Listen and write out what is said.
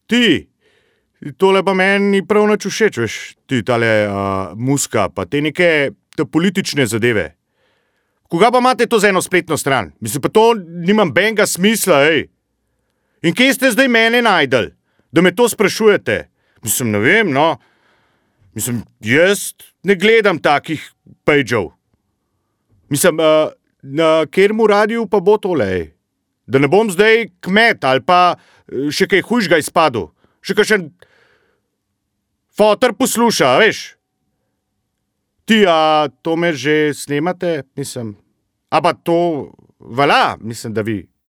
Ti, tole pa meni ni prav nič všeč, veš, ti tale muska, pa te neke politične zadeve. Koga pa imate to za eno spletno stran? Mislim, pa to nimam benga smisla, ej. In kje ste zdaj mene najdel, da me to sprašujete? Mislim, ne vem, no. Mislim, jaz ne gledam takih pejđev. Mislim, na kateremu radiju pa bo tole, ej? Da ne bom zdaj kmet ali pa še kaj hujšega izpadel. Še kakšen foter posluša, veš? Ti, to me že snemate, mislim. A pa to, vala, mislim, da vi.